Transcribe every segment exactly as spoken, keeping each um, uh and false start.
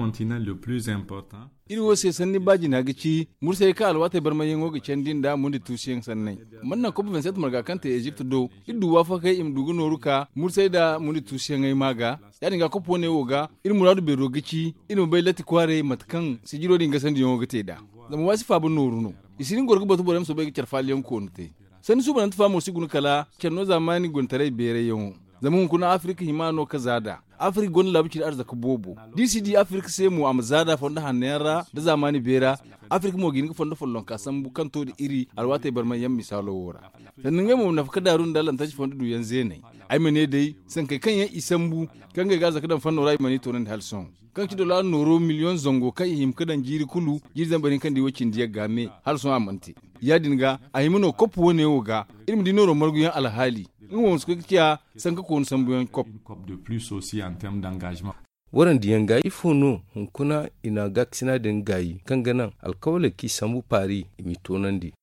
Continent le plus important. Iri wo se sanni baajina ga ci mursay kaŋ alwaatey barmayyaŋo ga candi nda mundi tuusuyaŋ sanney. Mana naŋ kop vingt-sept marga kaŋ te ezipt do iri du waafakey i ma du ga nooru ka mursay nda mundi tuusuyaŋey maa ga. Ya- din ga kop wane wo ga iri muraadu beero ga ci iri ma bay latti kwaaray mate kaŋ sijiro din gasandiyaŋo ga te nd'a. Zama waasi faaba nooru no. I si hin goro ga batu borey ma soobay ga care faalayaŋ koonu te. Sanni suubanante fa mo si guna kala care no zaamaani guntaray beerayyaŋo. Zama hunkuna afirka hima no ka za nd'a. Afirka gonda laabu cindi arzaka boobo. Da i si di afirka se mo a ma za nd'a fondo hanno yaŋ ra nda zaamaani beera. Afirka mo ga hin ga fondo follonka sambu kaŋ to nda iri alwaatey barmayyaŋ misaalo wo ra. Sanda ngey mo ma nafa ka daaru nda lantarki fondo duuyaŋ zeeney. Ay ma ne day sankey kaŋ yaŋ i sambu kaŋ ngey ga arzaka daŋ fanno ra i mana i toonandi hala sohõ. Kaŋ ga ci dollar nooro miliyoŋ zango kaŋ i hima ga daŋ jiiri kulu. Jiiri zambar hinka nda i wo cindi yagga me hala sohõ a mana te. Ya- din ga a hima no kop wane wo ga iri ma di nooro marguyaŋ alhaali. Nga mo ma si koy ga ciya sanka koonu sambuyaŋ kop. Warandiyaŋ ga ifo no hunkuna i na gaakasina din gaayi kaŋ ga naŋ alkawaley kaŋ i sambu paari i m'i toonandi?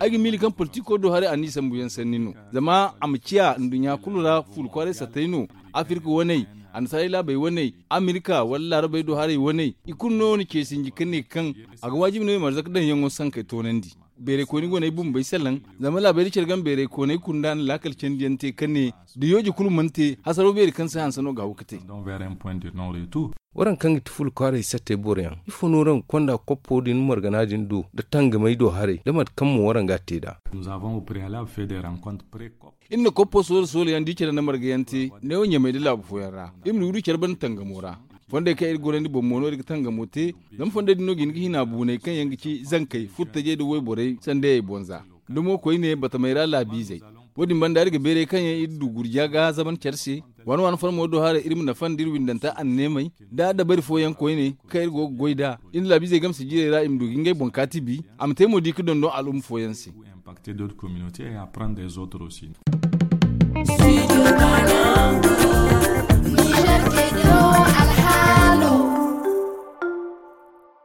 Ay ga miila kaŋ politiko do haray a n'i sambuyaŋ sanni no. Zama a ma ciya nduɲɲa kulu ra fuula kwaaray sattey no. Afirka waney, annasaarey laabey waney, amerika wala laarabey do haray waney i kulu no na ce sinji ka ne kaŋ a ga waajibi no i ma arzaka daŋyaŋo sankey toonandi. Beeray kooni go no ay bumbey salaŋ. Zama laabey da care game beeray kooney kunda na laakal candiyaŋ te ka ne da yooje kulu mana te hasaraw beeri kaŋ se hanse no ga haw ga te. Waraŋ kaŋ ga ti fula kwaaray sattey boroyaŋ ifo no waraŋ ga konda koppo din margana din do nda tangamey do haray nda mate kaŋ mo waraŋ ga a te nd'a? Iri na koppo soola soola yaŋ da i care nda marga yaŋ te neewo ɲamey nda laabu fooyaŋ ra. Iri ma du du care banda tangamo ra. Fondey kaŋ iri gorandi boŋ mo no iri ga tangamo te. Zama fondey din no ga hin ga hina buuney kaŋ yaŋ ga ci zankey furtajey nda wayborey sandayey boŋ za. Nda mo koyne batamey ra laabiizey. Wo- din banda iri ga beeray kaŋ yaŋ iri du gurja ga zaban care se. Waani waani farmo do haray iri ma nafa nda iri windanta anneemey nda dabari fooyaŋ koyne kaŋ iri go ga goy nd'a. Iri nda laabiizey game sijirey ra i ma du ga ngey boŋ kaati bi. A ma te mo di ga dondon al'umma fooyaŋ se. Impacter d'autres communautés et apprendre des autres aussi.